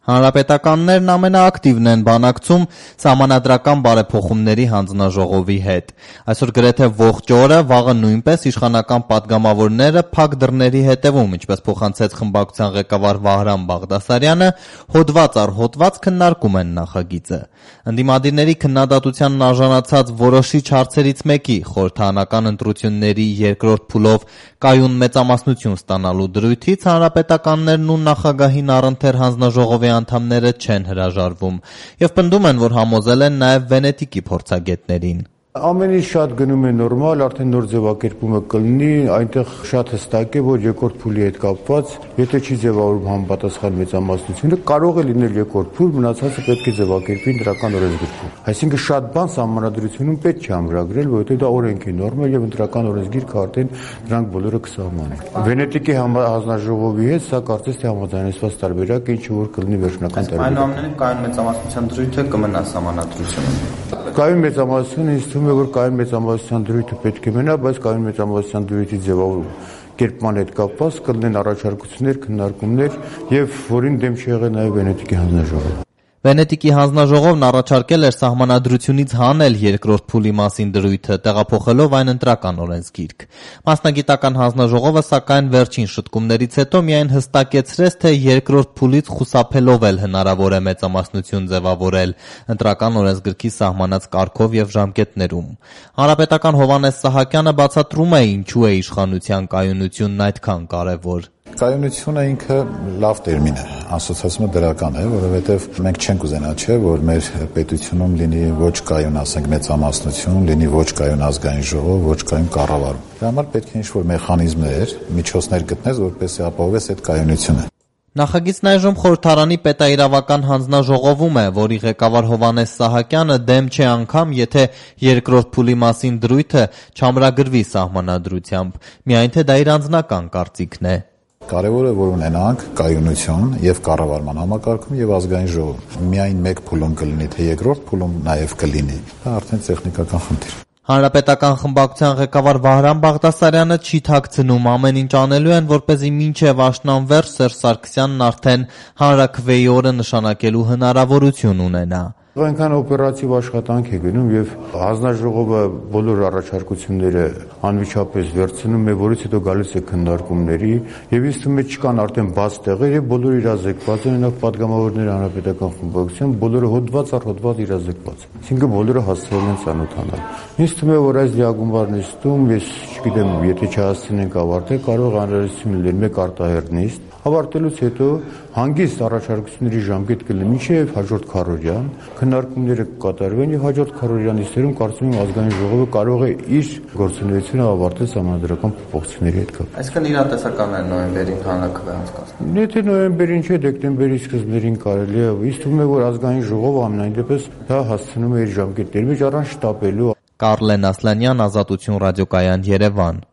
Հանրապետականներն ամենաակտիվն են բանակցում սահմանադրական բարեփոխումների հանձնաժողովի հետ։ Այսօր գրեթե ողջ օրը, վաղը նույնպես իշխանական պատգամավորները փակ դռների հետևում, ինչպես փոխանցեց խմբակցության ղեկավար Վահրամ Բաղդասարյանը, հոդված առ հոդված քննարկում են նախագիծը։ Ընդդիմադիրների քննադատությանն արժանացած որոշիչ հարցերից մեկի՝ խորհրդարանական ընտրությունների երկրորդ փուլով կայուն մեծամասնություն ստանալու դրույթից հանրապետականներն ու նախագահին առընթեր հանձնաժողովի անդամները չեն հրաժարվում եւ պնդում են, որ համոզել են նաեւ Վենետիկի փորձագետներին։ Ամեն ինչ շատ գնում է նորմալ, արդեն նոր ձևակերպումը կլինի, այնտեղ շատ հստակ է, որ երկրորդ փուլի հետ կապված, եթե չի ձևավորվում համապատասխան մեծամասնությունը, կարող է լինել երկրորդ փուլ, մնացածը պետք է ձևակերպվի ընտրական օրենսգիրքում։ Այսինքն շատ բան սահմանադրությունում պետք չի ամրագրել, որովհետեւ դա օրենք է նորմալ եւ ընտրական օրենսգիրքը արդեն դրանք բոլորը կսահմանեն։ Վենետիկի հանձնաժողովի հետ սա կարծես թե համաձայնեցված տարբերակ է, ինչը որ կլինի վերջնական տարբերակ։ Այնուամենայնիվ կայուն մեծամասնության դրույթը կմնա սահմանադրությունում։ Կայուն մեծամասնությունը ինձ թվում է, որ կայուն մեծամասնության դրույթը պետք է մնա, բայց կայուն մեծամասնության դրույթի կերպման հետ կապված կլինեն առաջարկություններ, քննարկումներ եւ որին դեմ չի եղել նաեւ Վենետիկի հանձնաժողովը։ Վենետիկի հանձնաժողովն առաջարկել էր սահմանադրությունից հանել երկրորդ փուլի մասին դրույթը, տեղափոխելով այն ընտրական օրենսգիրք։ Մասնագիտական հանձնաժողովը, սակայն, վերջին շտկումներից հետո միայն հստակեցրեց, թե երկրորդ փուլից խուսափելով էլ հնարավոր է մեծամասնություն ձևավորել ընտրական օրենսգրքի սահմանած կարգով եւ ժամկետներում։ Հանրապետական Հովհաննես Սահակյանը բացատրում է, ինչու է իշխանության կայունությունն այդքան կարեւոր։ Կայունությունը ինքը լավ տերմին է, ասոցիացումը դրական է, որովհետև մենք չենք ուզենա, չէ, որ մեր պետությունում լինի ոչ կայուն, ասենք, մեծամասնություն, լինի ոչ կայուն ազգային ժողով, ոչ կայուն կառավարում։ Դրա համար պետք է ինչ-որ մեխանիզմներ, միջոցներ գտնես, որպեսզի ապահովես այդ կայունությունը։ Նախագիծն այժմ խորհրդարանի պետաիրավական հանձնաժողովում է, որի ղեկավար Հովհաննես Սահակյանը դեմ չէ անգամ, եթե երկրորդ փուլի մասին դրույթը չամրագրվի սահմանադրությամբ, միայն թե դա իր անձնական կարծիքն է։ Կարևոր է, որ ունենանք կայունություն եւ կառավարման համակարգում եւ ազգային ժողովում։ Միայն մեկ փուլում կլինի, թե երկրորդ փուլում նաեւ կլինի։ Դա արդեն տեխնիկական խնդիր։ Հանրապետական խմբակցության ղեկավար Վահրամ Բաղդասարյանը չի թաքցնում, ամեն ինչ անելու են, որպեսզի մինչև աշնան Սերժ Սարգսյանն արդեն հանրաքվեի օրը նշանակելու հնարավորություն ունենա։ Այնքան օպերատիվ աշխատանք է գնում եւ հանձնաժողովը բոլոր առաջարկությունները անմիջապես վերցնում է, որից հետո գալիս է քննարկումների եւ ինձ թվում է չկան արդեն բաց տեղեր եւ բոլորը իրազեկված են, նաեւ պատգամավորները հանրապետական խմբակցության բոլորը հոդված առ հոդված իրազեկված են։ Այսինքն բոլորը հասցրել են ծանոթանալ։ Ինձ թվում է, որ այս լիագումար նիստում, ես չգիտեմ, եթե չհասցնենք ավարտել, կարող անհրաժեշտություն լինել մեկ արտահերթ նիստ, ավարտելուց հետո հանգիստ առաջարկությունների ժամկետ կլինի մինչև հաջորդ քառօրյան, քննարկումները կկատարվեն եւ հաջորդ քառօրյա նիստերում կարծում եմ ազգային ժողովը կարող է իր գործունեությունը ավարտել սահմանադրական փոփոխությունների հետ կապ։ Այսինքն իրատեսական է նոյեմբերին հանրաքվե անցկացնել։ Եթե նոյեմբերին չէ, դեկտեմբերի սկզբներին կարելի է, ինձ թվում է, որ ազգային ժողովը ամենայն դեպս դա հասցնում է իր ժամկետների մեջ առանց շտապելու։ Կարլեն Ասլանյան, Ազատություն ռադիոկայան, Երևան։